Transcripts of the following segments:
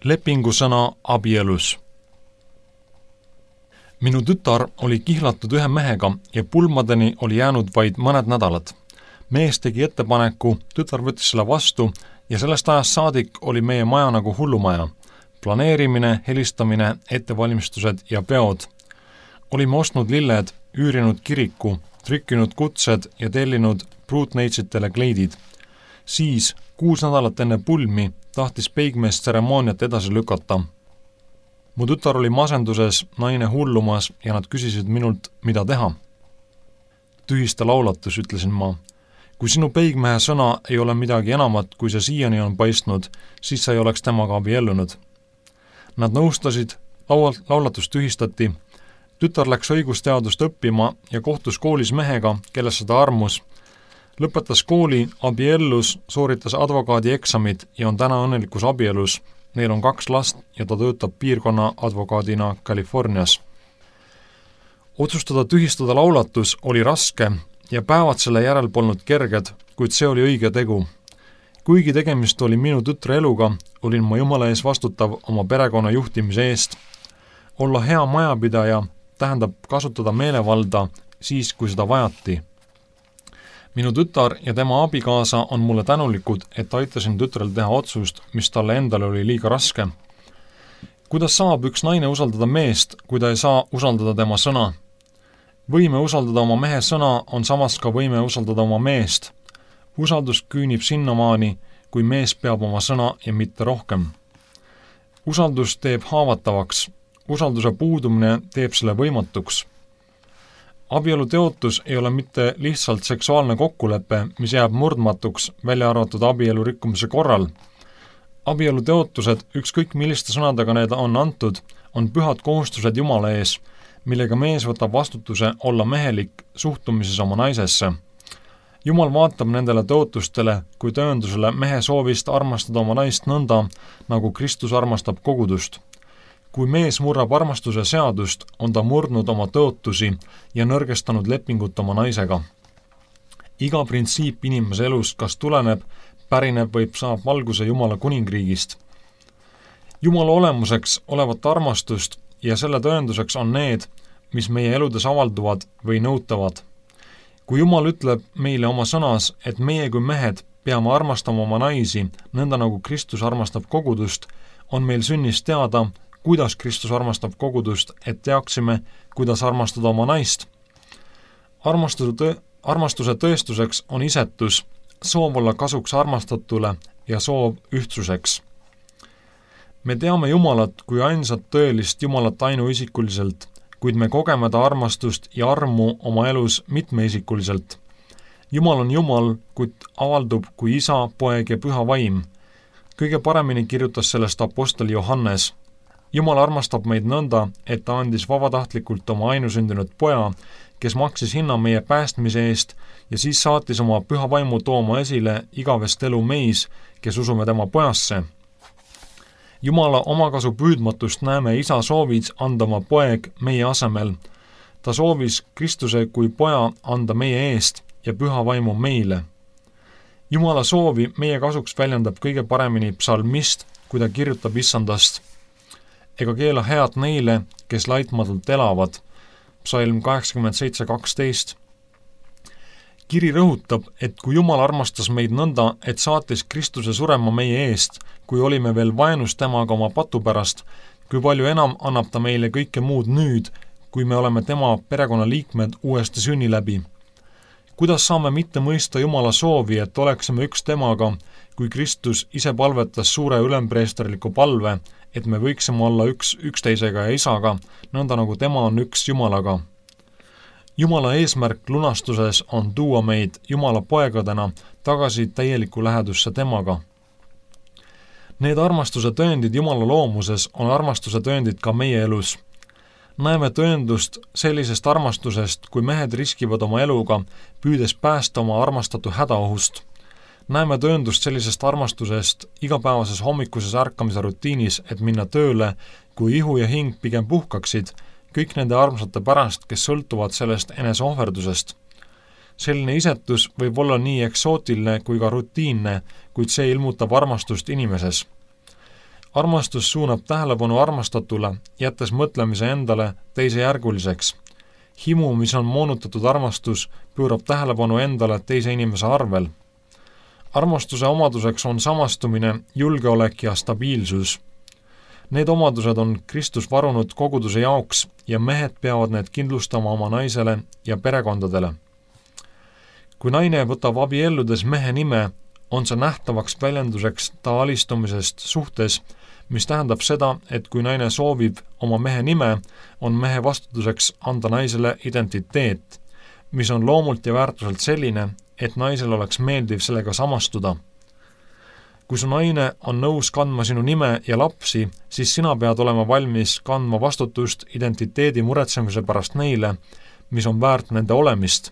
Lepingusõna abielus. Minu tütar oli kihlatud ühe mehega ja pulmadeni oli jäänud vaid mõned nädalad. Mees tegi ettepaneku, tütar võttis selle vastu ja sellest ajast saadik oli meie maja nagu hullumaja. Planeerimine, helistamine, ettevalmistused ja peod. Olime ostnud lilled, üürinud kiriku, trükkinud kutsed ja tellinud pruutneitsitele kleidid. Siis, 6 nädalat enne pulmi, tahtis peigmees tseremooniat edasi lükata. Mu tütar oli masenduses, naine hullumas ja nad küsisid minult, mida teha. Tühista laulatus, ütlesin ma. Kui sinu peigmehe sõna ei ole midagi enamat, kui see siiani on paistnud, siis sa ei oleks temaga abiellunud. Nad nõustasid, laulatus tühistati. Tütar läks õigusteadust õppima ja kohtus koolis mehega, kellest seda armus. Lõpetas kooli, abiellus, sooritas advokaadi eksamid ja on täna õnnelikus abielus. Neil on 2 last ja ta töötab piirkonna advokaadina Californias. Otsustada tühistada laulatus oli raske ja päevad selle järel polnud kerged, kuid see oli õige tegu. Kuigi tegemist oli minu tütre eluga, olin ma Jumala ees vastutav oma perekonna juhtimise eest. Olla hea majapidaja tähendab kasutada meelevalda siis, kui seda vajati. Minu tütar ja tema abikaasa on mulle tänulikud, et aitasin tütrel teha otsust, mis talle endale oli liiga raske. Kuidas saab üks naine usaldada meest, kui ta ei saa usaldada tema sõna? Võime usaldada oma mehe sõna on samas ka võime usaldada oma meest. Usaldus küünib sinnamaani, kui mees peab oma sõna ja mitte rohkem. Usaldus teeb haavatavaks. Usalduse puudumine teeb selle võimatuks. Abielu teotus ei ole mitte lihtsalt seksuaalne kokkulepe, mis jääb murdmatuks, välja arvatud abielu rikkumise korral. Abielu teotused, ükskõik milliste sõnadega need on antud, on pühad kohustused Jumala ees, millega mees võtab vastutuse olla mehelik suhtumises oma naisesse. Jumal vaatab nendele teotustele kui tõendusele mehe soovist armastada oma naist nõnda, nagu Kristus armastab kogudust. Kui mees murrab armastuse seadust, on ta murdnud oma tõotusi ja nõrgestanud lepingut oma naisega. Iga printsiip inimese elus kas tuleneb, pärineb või saab valguse Jumala kuningriigist. Jumala olemuseks olevat armastust ja selle tõenduseks on need, mis meie eludes avalduvad või nõutavad. Kui Jumal ütleb meile oma sõnas, et meie kui mehed peame armastama oma naisi, nõnda nagu Kristus armastab kogudust, on meil sünnis teada, kuidas Kristus armastab kogudust, et teaksime, kuidas armastada oma naist. Armastuse tõestuseks on isetus, soov olla kasuks armastatule ja soov ühtsuseks. Me teame Jumalat kui ainsat tõelist Jumalat ainuisikuliselt, kuid me kogeme ta armastust ja armu oma elus mitmeisikuliselt. Jumal on Jumal, kuid avaldub kui Isa, Poeg ja Püha Vaim. Kõige paremini kirjutas sellest apostel Johannes. Jumal armastab meid nõnda, et ta andis vabatahtlikult oma ainusündinud poja, kes maksis hinna meie päästmise eest ja siis saatis oma Püha Vaimu tooma esile igavest elu meis, kes usume tema pojasse. Jumala omakasu püüdmatust näeme Isa soovis anda oma poeg meie asemel. Ta soovis Kristuse kui poja anda meie eest ja Püha Vaimu meile. Jumala soovi meie kasuks väljendab kõige paremini psalmist, kui ta kirjutab issandast. Ega keela head neile, kes laitmatult elavad. Psalm 87:12. Kiri rõhutab, et kui Jumal armastas meid nõnda, et saatis Kristuse surema meie eest, kui olime veel vaenus temaga oma patu pärast, kui palju enam annab ta meile kõike muud nüüd, kui me oleme tema perekonna liikmed uuesti sünni läbi. Kuidas saame mitte mõista Jumala soovi, et oleksime üks temaga, kui Kristus ise palvetas suure ülempreesterliku palve, et me võiksime olla üksteisega ja Isaga, nõnda nagu tema on üks Jumalaga. Jumala eesmärk lunastuses on tuua meid Jumala poegadena tagasi täieliku lähedusse temaga. Need armastuse tõendid Jumala loomuses on armastuse tõendid ka meie elus. Näeme tõendust sellisest armastusest, kui mehed riskivad oma eluga, püüdes päästa oma armastatu hädaohust. Näeme tõendust sellisest armastusest igapäevases hommikuses ärkamise rutiinis, et minna tööle, kui ihu ja hing pigem puhkaksid, kõik nende armsate pärast, kes sõltuvad sellest eneseohverdusest. Selline isetus võib olla nii eksootiline kui ka rutiinne, kuid see ilmutab armastust inimeses. Armastus suunab tähelepanu armastatule, jättes mõtlemise endale teisejärguliseks. Himu, mis on moonutatud armastus, pöörab tähelepanu endale teise inimese arvel. Armastuse omaduseks on samastumine, julgeolek ja stabiilsus. Need omadused on Kristus varunud koguduse jaoks ja mehed peavad need kindlustama oma naisele ja perekondadele. Kui naine võtab abielludes mehe nime, on see nähtavaks väljenduseks ta alistumisest suhtes, mis tähendab seda, et kui naine soovib oma mehe nime, on mehe vastutuseks anda naisele identiteet, mis on loomult ja väärtuselt selline, et naisel oleks meeldiv sellega samastuda. Kui su naine on nõus kandma sinu nime ja lapsi, siis sina pead olema valmis kandma vastutust identiteedi muretsemise pärast neile, mis on väärt nende olemist.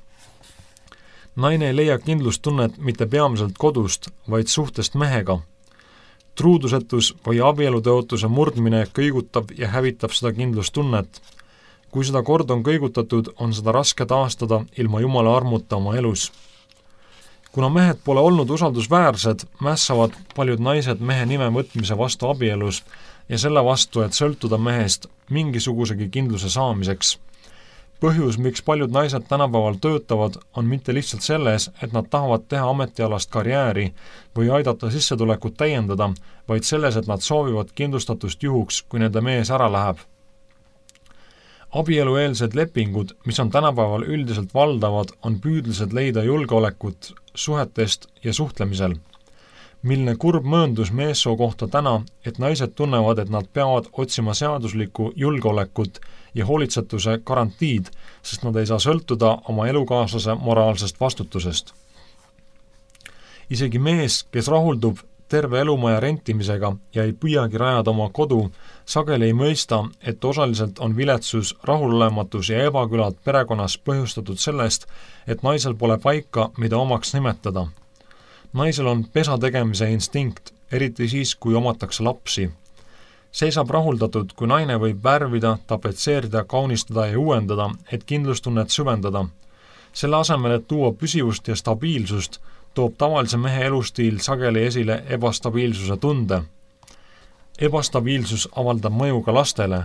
Naine ei leia kindlustunnet mitte peamiselt kodust, vaid suhtest mehega. Truudusetus või abielutõotuse murdmine kõigutab ja hävitab seda kindlustunnet. Kui seda kord on kõigutatud, on seda raske taastada ilma Jumala armuta oma elus. Kuna mehed pole olnud usaldusväärsed, mässavad paljud naised mehe nime võtmise vastu abielus ja selle vastu, et sõltuda mehest mingisugusegi kindluse saamiseks. Põhjus, miks paljud naised tänapäeval töötavad, on mitte lihtsalt selles, et nad tahavad teha ametialast karjääri või aidata sissetulekut täiendada, vaid selles, et nad soovivad kindlustatust juhuks, kui nende mees ära läheb. Abielueelsed lepingud, mis on tänapäeval üldiselt valdavad, on püüdlised leida julgeolekut suhetest ja suhtlemisel. Milline kurb mööndus meessoo kohta täna, et naised tunnevad, et nad peavad otsima seaduslikku julgeolekut ja hoolitsetuse garantiid, sest nad ei saa sõltuda oma elukaaslase moraalsest vastutusest. Isegi mees, kes rahuldub terve elumaja rentimisega ja ei püüagi rajada oma kodu, sageli ei mõista, et osaliselt on viletsus, rahulolematus ja ebakülad perekonnas põhjustatud sellest, et naisel pole paika, mida omaks nimetada. Naisel on pesa tegemise instinkt, eriti siis, kui omatakse lapsi. See saab rahuldatud, kui naine võib värvida, tapetseerida, kaunistada ja uuendada, et kindlustunnet süvendada. Selle asemel, et tuua püsivust ja stabiilsust, toob tavalise mehe elustiil sageli esile ebastabiilsuse tunde. Ebastabiilsus avaldab mõju ka lastele.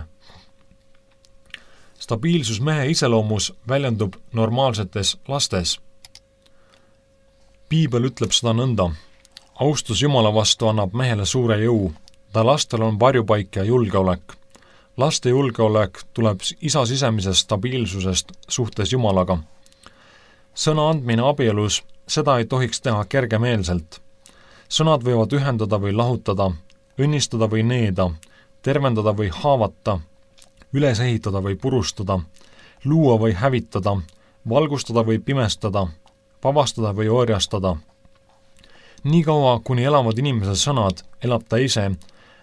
Stabiilsus mehe iseloomus väljendub normaalsetes lastes. Piibel ütleb seda nõnda. Austus Jumala vastu annab mehele suure jõu. Ta lastel on varjupaik ja julgeolek. Laste julgeolek tuleb isa sisemisest stabiilsusest suhtes Jumalaga. Sõna andmine abielus, seda ei tohiks teha kergemeelselt. Sõnad võivad ühendada või lahutada, õnnistada või needa, tervendada või haavata, üles ehitada või purustada, luua või hävitada, valgustada või pimestada, vabastada või orjastada. Nii kaua, kuni elavad inimese sõnad, elab ta ise.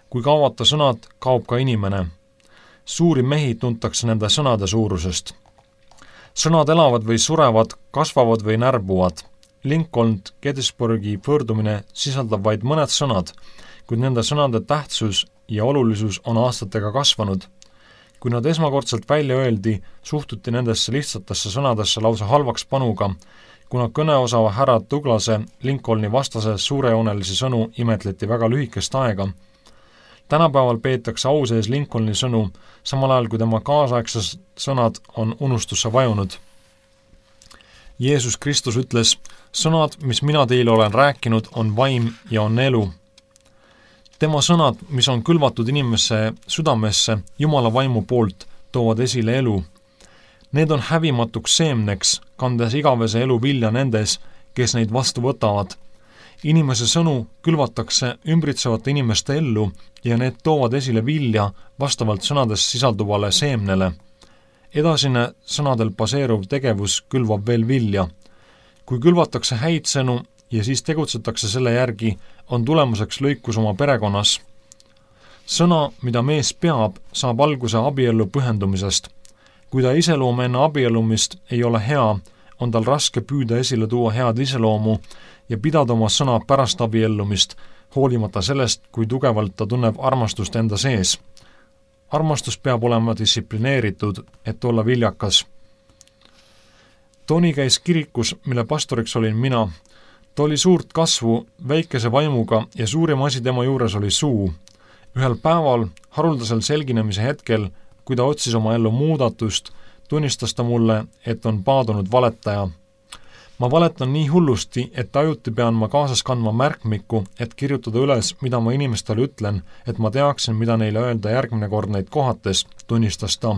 Kui kaovad ta sõnad, kaob ka inimene. Suuri mehi tuntakse nende sõnade suurusest. Sõnad elavad või surevad, kasvavad või närbuvad. Lincoln Gettysburgi pöördumine sisaldab vaid mõned sõnad, kuid nende sõnade tähtsus ja olulisus on aastatega kasvanud. Kui nad esmakordselt välja öeldi, suhtuti nendesse lihtsatesse sõnadesse lausa halvaks panuga, kuna kõneosava härra Douglase Lincolni vastase suurejoonelisi sõnu imetleti väga lühikest aega. Tänapäeval peetakse au sees Lincolni sõnu, samal ajal kui tema kaasaegses sõnad on unustusse vajunud. Jeesus Kristus ütles, sõnad, mis mina teile olen rääkinud, on vaim ja on elu. Tema sõnad, mis on külvatud inimesse südamesse Jumala vaimu poolt, toovad esile elu. Need on hävimatuks seemneks, kandes igavese elu vilja nendes, kes neid vastu võtavad. Inimese sõnu külvatakse ümbritsevate inimeste ellu ja need toovad esile vilja vastavalt sõnades sisalduvale seemnele. Edasine sõnadel baseeruv tegevus külvab veel vilja. Kui külvatakse häid sõnu ja siis tegutsetakse selle järgi, on tulemuseks lõikus oma perekonnas. Sõna, mida mees peab, saab alguse abiellu pühendumisest. Kui ta iseloom enne abiellumist ei ole hea, on tal raske püüda esile tuua head iseloomu ja pidada oma sõna pärast abiellumist, hoolimata sellest, kui tugevalt ta tunneb armastust enda sees. Armastus peab olema distsiplineeritud, et olla viljakas. Toni käis kirikus, mille pastoriks olin mina. Ta oli suurt kasvu, väikese vaimuga ja suurim asi tema juures oli suu. Ühel päeval, haruldasel selginemise hetkel, kui ta otsis oma ellu muudatust, tunnistas ta mulle, et on paadunud valetaja. Ma valetan nii hullusti, et ajuti pean ma kaasas kandma märkmikku, et kirjutada üles, mida ma inimestele ütlen, et ma teaksin, mida neile öelda järgmine kord neid kohates, tunnistas ta.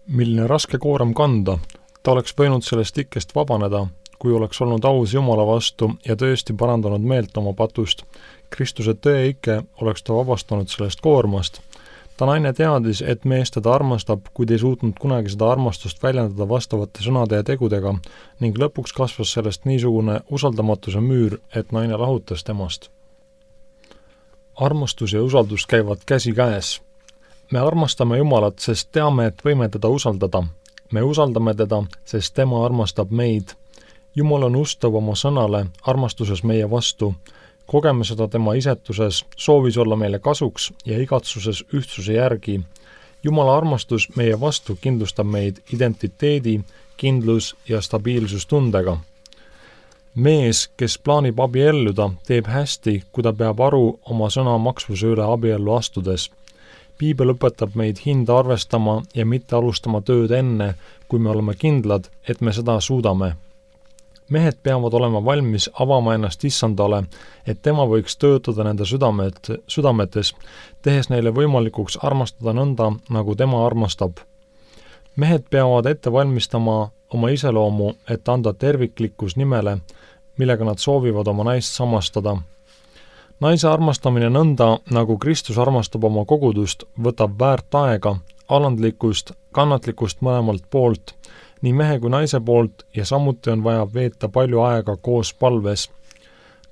Milline raske koorem kanda, ta oleks võinud sellest ikkest vabaneda, kui oleks olnud aus Jumala vastu ja tõesti parandanud meelt oma patust. Kristuse tõe ikke oleks ta vabastanud sellest koormast. Ta naine teadis, et mees teda armastab, kuid ei suutnud kunagi seda armastust väljendada vastavate sõnade ja tegudega ning lõpuks kasvas sellest niisugune usaldamatuse müür, et naine lahutas temast. Armastus ja usaldus käivad käsi käes. Me armastame Jumalat, sest teame, et võime teda usaldada. Me usaldame teda, sest tema armastab meid. Jumal on ustav oma sõnale, armastuses meie vastu. Kogeme seda tema isetuses, soovis olla meile kasuks ja igatsuses ühtsuse järgi. Jumala armastus meie vastu kindlustab meid identiteedi, kindlus ja stabiilsustundega. Mees, kes plaanib abielluda, teeb hästi, kui ta peab aru oma sõna maksvuse üle abiellu astudes. Piibel õpetab meid hinda arvestama ja mitte alustama tööd enne, kui me oleme kindlad, et me seda suudame. Mehed peavad olema valmis avama ennast Issandale, et tema võiks töötada nende südametes, tehes neile võimalikuks armastada nõnda, nagu tema armastab. Mehed peavad ette valmistama oma iseloomu, et anda terviklikkus nimele, millega nad soovivad oma naist samastada. Naise armastamine nõnda, nagu Kristus armastab oma kogudust, võtab väärt aega, alandlikkust, kannatlikkust mõlemalt poolt, nii mehe kui naise poolt ja samuti on vaja veeta palju aega koos palves.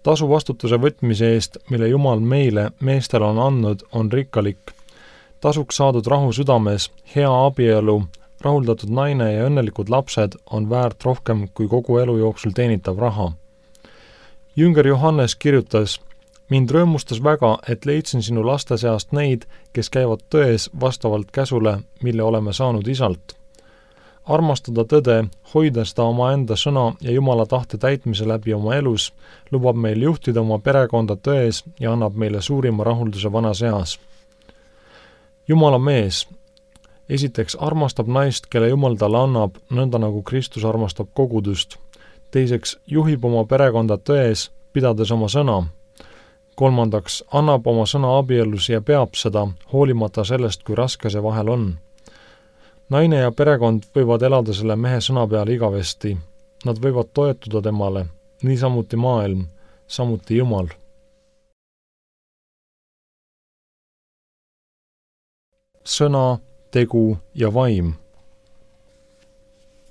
Tasu vastutuse võtmise eest, mille Jumal meile, meestele on andnud, on rikkalik. Tasuks saadud rahu südames, hea abielu, rahuldatud naine ja õnnelikud lapsed on väärt rohkem kui kogu elu jooksul teenitav raha. Jünger Johannes kirjutas, mind rõõmustas väga, et leidsin sinu laste seast neid, kes käivad tões vastavalt käsule, mille oleme saanud Isalt. Armastada tõde, hoida seda oma enda sõna ja Jumala tahte täitmise läbi oma elus, lubab meil juhtida oma perekonda tões ja annab meile suurima rahulduse vanas eas. Jumala mees. Esiteks armastab naist, kelle Jumal talle annab, nõnda nagu Kristus armastab kogudust. Teiseks juhib oma perekonda tões, pidades oma sõna. Kolmandaks annab oma sõna abiellus ja peab seda, hoolimata sellest, kui raske see vahel on. Naine ja perekond võivad elada selle mehe sõna peale igavesti. Nad võivad toetuda temale, niisamuti maailm, samuti Jumal. Sõna, tegu ja vaim.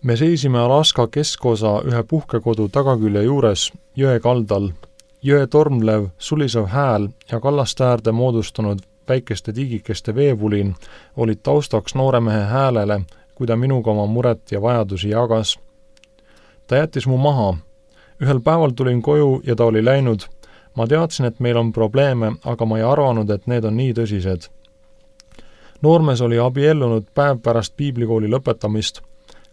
Me seisime Alaska keskosa ühe puhkekodu tagakülje juures, jõe kaldal. Jõe tormlev, sulisev hääl ja kallaste äärde moodustanud väikeste tigikeste veevulin olid taustaks noore mehe häälele, kui ta minuga oma muret ja vajadusi jagas. Ta jättis mu maha. Ühel päeval tulin koju ja ta oli läinud. Ma teadsin, et meil on probleeme, aga ma ei arvanud, et need on nii tõsised. Noormees oli abiellunud päev pärast piiblikooli lõpetamist.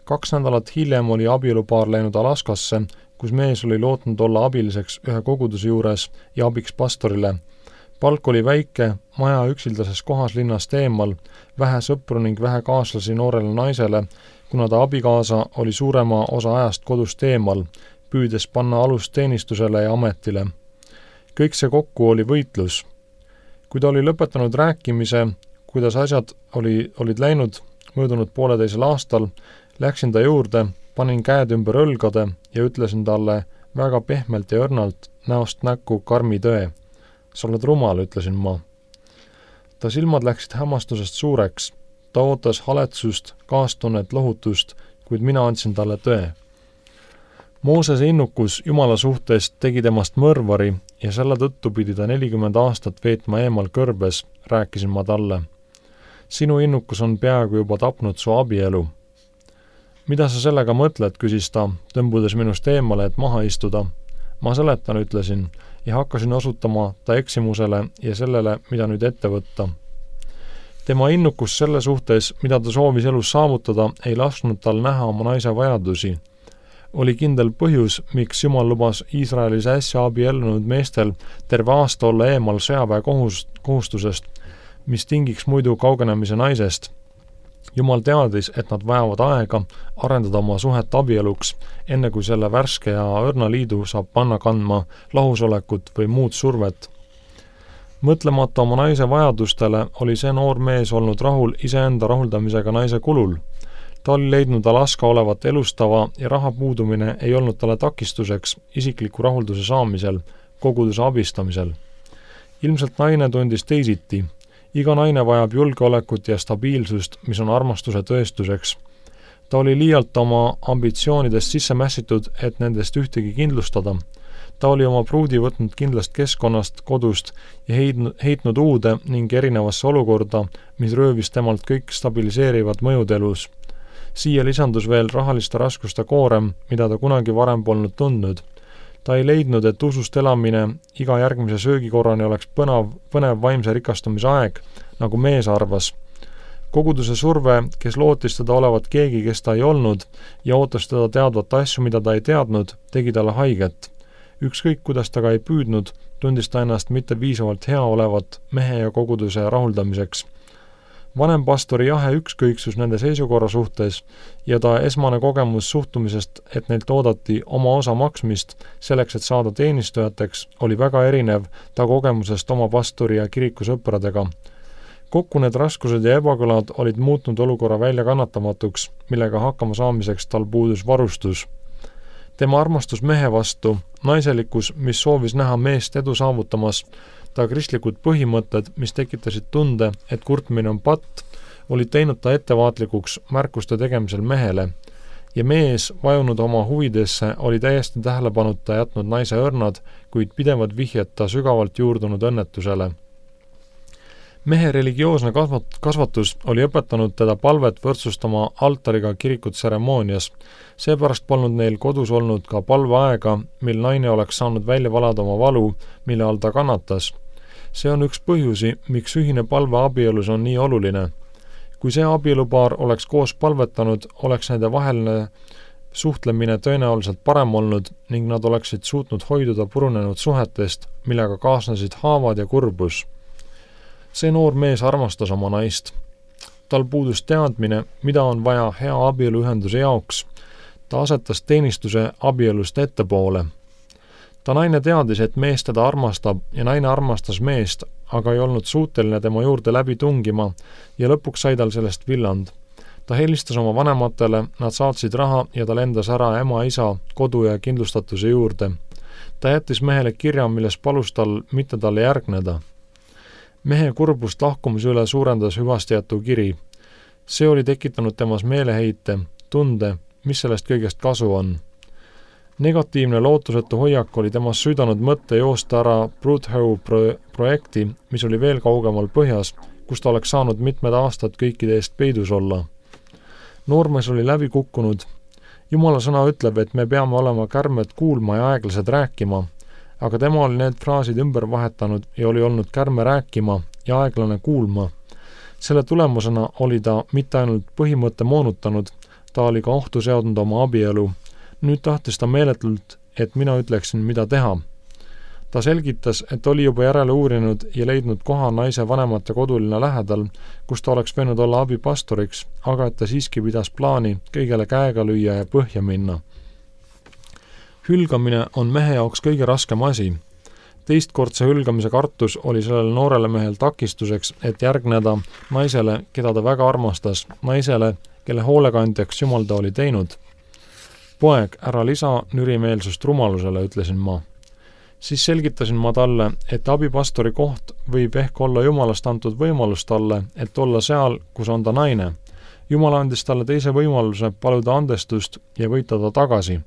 2 nädalat hiljem oli abielupaar läinud Alaskasse, kus mees oli lootnud olla abiliseks ühe koguduse juures ja abiks pastorile. Palk oli väike, maja üksildases kohas linnast eemal, vähe sõpru ning vähe kaaslasi noorele naisele, kuna ta abikaasa oli suurema osa ajast kodust eemal, püüdes panna alust teenistusele ja ametile. Kõik see kokku oli võitlus. Kui ta oli lõpetanud rääkimise, kuidas asjad olid läinud möödunud 1,5 aastal, läksin ta juurde, panin käed ümber õlgade ja ütlesin talle väga pehmelt ja õrnalt, näost näkku karmi tõe. Sa oled rumal, ütlesin ma. Ta silmad läksid hämmastusest suureks. Ta ootas haletsust, kaastunnet, lohutust, kuid mina andsin talle tõe. Moosese innukus Jumala suhtes tegi temast mõrvari ja selle tõttu pidi ta 40 aastat veetma eemal kõrbes, rääkisin ma talle. Sinu innukus on peaaegu juba tapnud su abielu. Mida sa sellega mõtled, küsis ta, tõmbudes minust eemale, et maha istuda. Ma seletan, ütlesin, ja hakkasin osutama ta eksimusele ja sellele, mida nüüd ette võtta. Tema innukus selle suhtes, mida ta soovis elus saavutada, ei lasknud tal näha oma naise vajadusi. oli kindel põhjus, miks Jumal lubas Iisraelis äsja abiellunud meestel terve aasta olla eemal sõjaväe kohustusest, mis tingiks muidu kaugenemise naisest. Jumal teadis, et nad vajavad aega arendada oma suhet abieluks, enne kui selle värske ja õrna liidu saab panna kandma lahusolekut või muud survet. Mõtlemata oma naise vajadustele oli see noor mees olnud rahul iseenda rahuldamisega naise kulul. Ta oli leidnud Alaska olevat elustava ja raha puudumine ei olnud talle takistuseks isikliku rahulduse saamisel, koguduse abistamisel. Ilmselt naine tundis teisiti. Iga naine vajab julgeolekut ja stabiilsust, mis on armastuse tõestuseks. Ta oli liialt oma ambitsioonidest sisse mässitud, et nendest ühtegi kindlustada. Ta oli oma pruudi võtnud kindlast keskkonnast, kodust ja heitnud uude ning erinevasse olukorda, mis röövis temalt kõik stabiliseerivad mõjud elus. Siia lisandus veel rahaliste raskuste koorem, mida ta kunagi varem polnud tundnud. Ta ei leidnud, et usust elamine iga järgmise söögikorrani oleks põnev vaimse rikastumise aeg, nagu mees arvas. Koguduse surve, kes lootis teda olevat keegi, kes ta ei olnud, ja ootas teda teadvat asju, mida ta ei teadnud, tegi talle haiget. Ükskõik, kuidas ta ka ei püüdnud, tundis ta ennast mitte piisavalt hea olevat mehe ja koguduse rahuldamiseks. Vanem pastori jahe ükskõiksus nende seisukorra suhtes ja ta esmane kogemus suhtumisest, et neilt oodati oma osa maksmist selleks, et saada teenistujateks, oli väga erinev ta kogemusest oma pastori ja kirikusõpradega. Kokku need raskused ja ebakõlad olid muutnud olukorra välja kannatamatuks, millega hakkama saamiseks tal puudus varustus. Tema armastus mehe vastu, naiselikkus, mis soovis näha meest edu saavutamas, ta kristlikud põhimõtted, mis tekitasid tunde, et kurtmine on patt, olid teinud ta ettevaatlikuks märkuste tegemisel mehele ja mees, vajunud oma huvidesse, oli täiesti tähelepanuta jätnud naise õrnad, kuid pidevad vihjed ta sügavalt juurdunud õnnetusele. Mehe religioosne kasvatus oli õpetanud teda palvet võrdsustama altariga kirikut tseremoonias. Seepärast polnud neil kodus olnud ka palveaega, mil naine oleks saanud välja valada oma valu, mille all ta kannatas. See on üks põhjusi, miks ühine palve abielus on nii oluline. Kui see abielupaar oleks koos palvetanud, oleks nende vaheline suhtlemine tõenäoliselt parem olnud ning nad oleksid suutnud hoiduda purunenud suhetest, millega kaasnesid haavad ja kurbus. See noor mees armastas oma naist. Tal puudus teadmine, mida on vaja hea abieluühenduse jaoks. Ta asetas teenistuse abielust ettepoole. Ta naine teadis, et mees teda armastab ja naine armastas meest, aga ei olnud suuteline tema juurde läbi tungima ja lõpuks sai tal sellest villand. Ta helistas oma vanematele, nad saatsid raha ja ta lendas ära ema-isa, kodu ja kindlustatuse juurde. Ta jättis mehele kirja, milles palus tal mitte talle järgneda. Mehe kurbust lahkumise üle suurendas hüvastijätu kiri. See oli tekitanud temas meeleheite, tunde, mis sellest kõigest kasu on. Negatiivne lootusetu hoiak oli temas süüdanud mõtte joosta ära Broodhoe projekti, mis oli veel kaugemal põhjas, kus ta oleks saanud mitmed aastad kõikide eest peidus olla. Noormees oli läbi kukkunud. Jumala sõna ütleb, et me peame olema kärmed kuulma ja aeglased rääkima, aga tema oli need fraasid ümber vahetanud ja oli olnud kärme rääkima ja aeglane kuulma. Selle tulemusena oli ta mitte ainult põhimõtte moonutanud, ta oli ka ohtu seadnud oma abielu. Nüüd tahtis ta meeletult, et mina ütleksin, mida teha. Ta selgitas, et oli juba järele uurinud ja leidnud koha naise vanemate koduline lähedal, kus ta oleks võinud olla abipastoriks, aga et ta siiski pidas plaani kõigele käega lüüa ja põhja minna. Hülgamine on mehe jaoks kõige raskem asi. Teistkordse hülgamise kartus oli sellele noorele mehel takistuseks, et järgneda naisele, keda ta väga armastas, naisele, kelle hoolekandjaks Jumal ta oli teinud. Poeg, ära lisa nürimeelsust rumalusele, ütlesin ma. Siis selgitasin ma talle, et abipastori koht võib ehk olla Jumalast antud võimalus talle, et olla seal, kus on ta naine. Jumal andis talle teise võimaluse paluda andestust ja võita ta tagasi.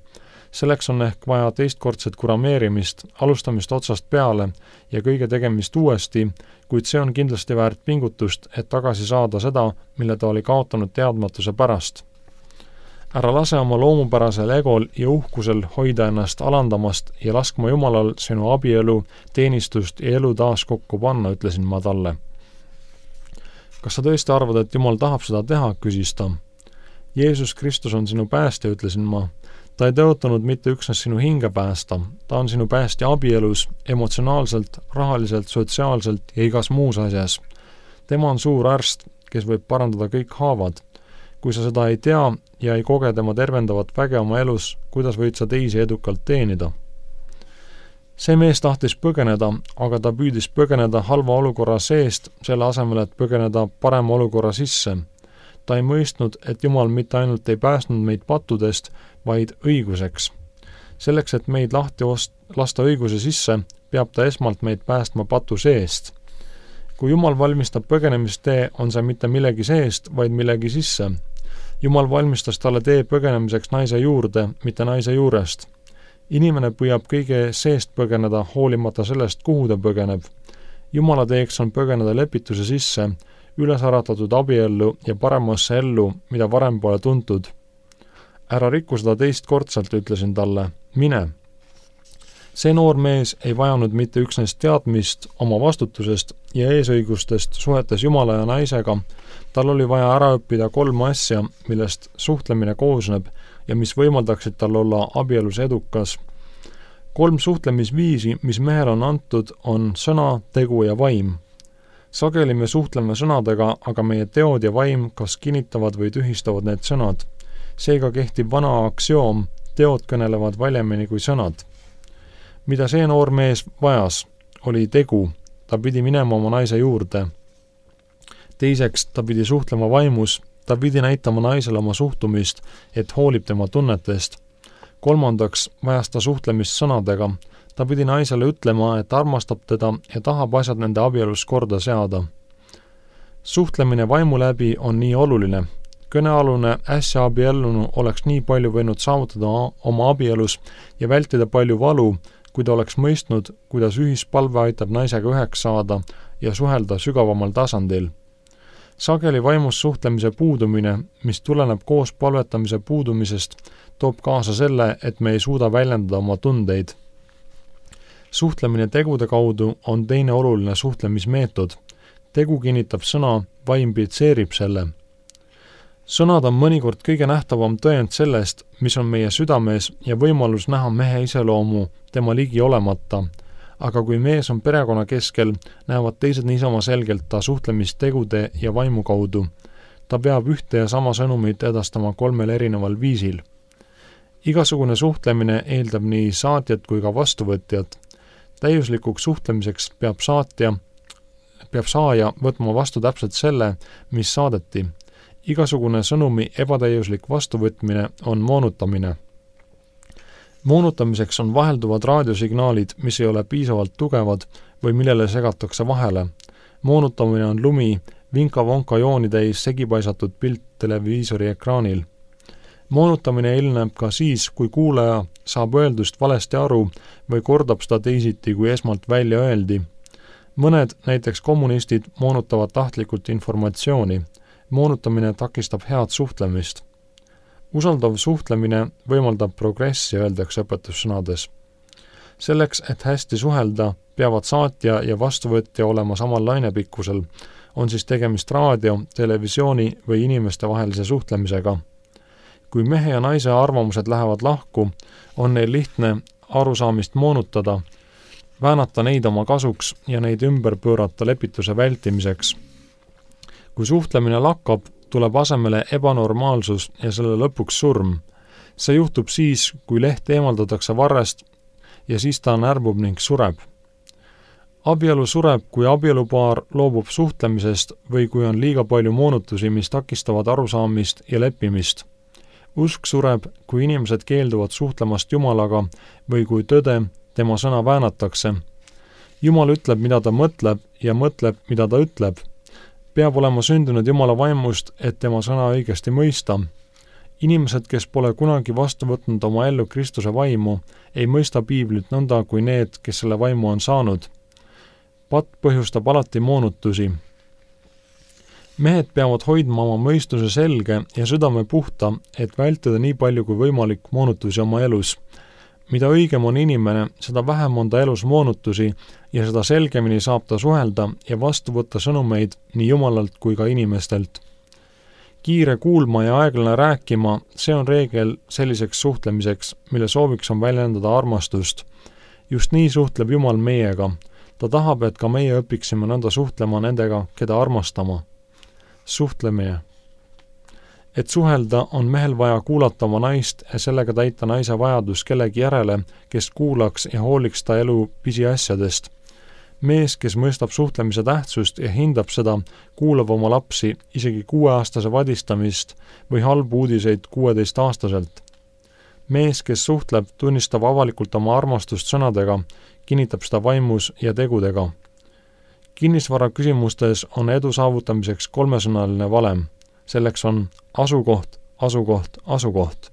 Selleks on ehk vaja teistkordset kurameerimist, alustamist otsast peale ja kõige tegemist uuesti, kuid see on kindlasti väärt pingutust, et tagasi saada seda, mille ta oli kaotanud teadmatuse pärast. Ära lase oma loomupärasel egol ja uhkusel hoida ennast alandamast ja laskma Jumalal sinu abielu, teenistust ja elu taas kokku panna, ütlesin ma talle. Kas sa tõesti arvad, et Jumal tahab seda teha, küsis ta. Jeesus Kristus on sinu päästja, ütlesin ma. Ta ei tõotanud mitte üksnes sinu hinge päästa, ta on sinu päästja abielus, emotsionaalselt, rahaliselt, sotsiaalselt ja igas muus asjas. Tema on suur arst, kes võib parandada kõik haavad. Kui sa seda ei tea ja ei koge tema tervendavat väge oma elus, kuidas võid sa teisi edukalt teenida? See mees tahtis põgeneda, aga ta püüdis põgeneda halva olukorra seest, selle asemel, et põgeneda parema olukorra sisse. Ta ei mõistnud, et Jumal mitte ainult ei päästnud meid pattudest, vaid õiguseks. Selleks, et meid lahti lasta õiguse sisse, peab ta esmalt meid päästma patu seest. Kui Jumal valmistab põgenemistee, on see mitte millegi seest, vaid millegi sisse. Jumal valmistas talle tee põgenemiseks naise juurde, mitte naise juurest. Inimene püüab kõige seest põgeneda, hoolimata sellest, kuhu ta põgeneb. Jumala teeks on põgeneda lepituse sisse, üles äratatud abiellu ja paremasse ellu, mida varem pole tuntud. Ära rikku seda teistkordselt, ütlesin talle, mine. See noor mees ei vajanud mitte üksnes teadmist oma vastutusest ja eesõigustest suhetes Jumala ja naisega, tal oli vaja ära õppida 3 asja, millest suhtlemine koosneb ja mis võimaldaksid tal olla abielus edukas. 3 suhtlemisviisi, mis mehel on antud, on sõna, tegu ja vaim. Sageli me suhtleme sõnadega, aga meie teod ja vaim kas kinnitavad või tühistavad need sõnad. Seega kehtib vana aktsioom, teod kõnelevad valjemini kui sõnad. Mida see noor mees vajas, oli tegu, ta pidi minema oma naise juurde. Teiseks, ta pidi suhtlema vaimus, ta pidi näitama naisele oma suhtumist, et hoolib tema tunnetest. 3. vajas ta suhtlemist sõnadega, ta pidi naisele ütlema, et armastab teda ja tahab asjad nende abielus korda seada. Suhtlemine vaimu läbi on nii oluline. Kõnealune äsja abiellunu oleks nii palju võinud saavutada oma abielus ja vältida palju valu, kui ta oleks mõistnud, kuidas ühispalve aitab naisega üheks saada ja suhelda sügavamal tasandil. Sageli vaimus suhtlemise puudumine, mis tuleneb koos palvetamise puudumisest, toob kaasa selle, et me ei suuda väljendada oma tundeid. Suhtlemine tegude kaudu on teine oluline suhtlemismeetod. Tegu kinnitab sõna, vaim pitseerib selle. Sõnad on mõnikord kõige nähtavam tõend sellest, mis on meie südames ja võimalus näha mehe iseloomu tema ligi olemata. Aga kui mees on perekonna keskel, näevad teised niisama selgelt ta suhtlemist tegude ja vaimu kaudu. Ta peab ühte ja sama sõnumit edastama 3 erineval viisil. Igasugune suhtlemine eeldab nii saatjat kui ka vastuvõtjat. Täiuslikuks suhtlemiseks peab saaja võtma vastu täpselt selle, mis saadeti. Igasugune sõnumi ebatäiuslik vastuvõtmine on moonutamine. Moonutamiseks on vahelduvad raadiosignaalid, mis ei ole piisavalt tugevad või millele segatakse vahele. Moonutamine on lumi, vinka-vonka jooni täis segipaisatud pilt televiisori ekraanil. Moonutamine ilmneb ka siis, kui kuulaja saab öeldust valesti aru või kordab seda teisiti, kui esmalt välja öeldi. Mõned, näiteks kommunistid, moonutavad tahtlikult informatsiooni. Moonutamine takistab head suhtlemist. Usaldav suhtlemine võimaldab progressi, öeldakse õpetussõnades. Selleks, et hästi suhelda, peavad saatja ja vastuvõtja olema samal lainepikkusel, on siis tegemist raadio, televisiooni või inimeste vahelise suhtlemisega. Kui mehe ja naise arvamused lähevad lahku, on neil lihtne arusaamist moonutada, väänata neid oma kasuks ja neid ümber pöörata lepituse vältimiseks. Kui suhtlemine lakkab, tuleb asemele ebanormaalsus ja selle lõpuks surm. See juhtub siis, kui leht eemaldatakse varrest ja siis ta närbub ning sureb. Abielu sureb, kui abielupaar loobub suhtlemisest või kui on liiga palju moonutusi, mis takistavad arusaamist ja leppimist. Usk sureb, kui inimesed keelduvad suhtlemast Jumalaga või kui tõde, tema sõna väänatakse. Jumal ütleb, mida ta mõtleb ja mõtleb, mida ta ütleb. Peab olema sündinud Jumala vaimust, et tema sõna õigesti mõista. Inimesed, kes pole kunagi vastu võtnud oma ellu Kristuse vaimu, ei mõista piiblit nõnda kui need, kes selle vaimu on saanud. Patt põhjustab alati moonutusi. Mehed peavad hoidma oma mõistuse selge ja südame puhta, et vältida nii palju kui võimalik moonutusi oma elus. Mida õigem on inimene, seda vähem on ta elus moonutusi ja seda selgemini saab ta suhelda ja vastu võtta sõnumeid nii Jumalalt kui ka inimestelt. Kiire kuulma ja aeglane rääkima, see on reegel selliseks suhtlemiseks, mille sooviks on väljendada armastust. Just nii suhtleb Jumal meiega. Ta tahab, et ka meie õpiksime nõnda suhtlema nendega, keda armastama. Suhtlemine. Et suhelda, on mehel vaja kuulata oma naist ja sellega täita naise vajadus kellegi järele, kes kuulaks ja hooliks ta elu pisiasjadest. Mees, kes mõistab suhtlemise tähtsust ja hindab seda, kuulab oma lapsi isegi 6-aastase vadistamist või halbu uudiseid 16-aastaselt. Mees, kes suhtleb, tunnistab avalikult oma armastust sõnadega, kinnitab seda vaimus ja tegudega. Kinnisvara küsimustes on edu saavutamiseks 3-sõnaline valem. Selleks on asukoht, asukoht, asukoht.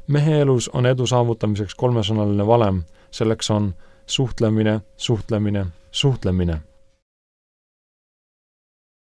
Mehe elus on edu saavutamiseks 3-sõnaline valem. Selleks on suhtlemine, suhtlemine, suhtlemine.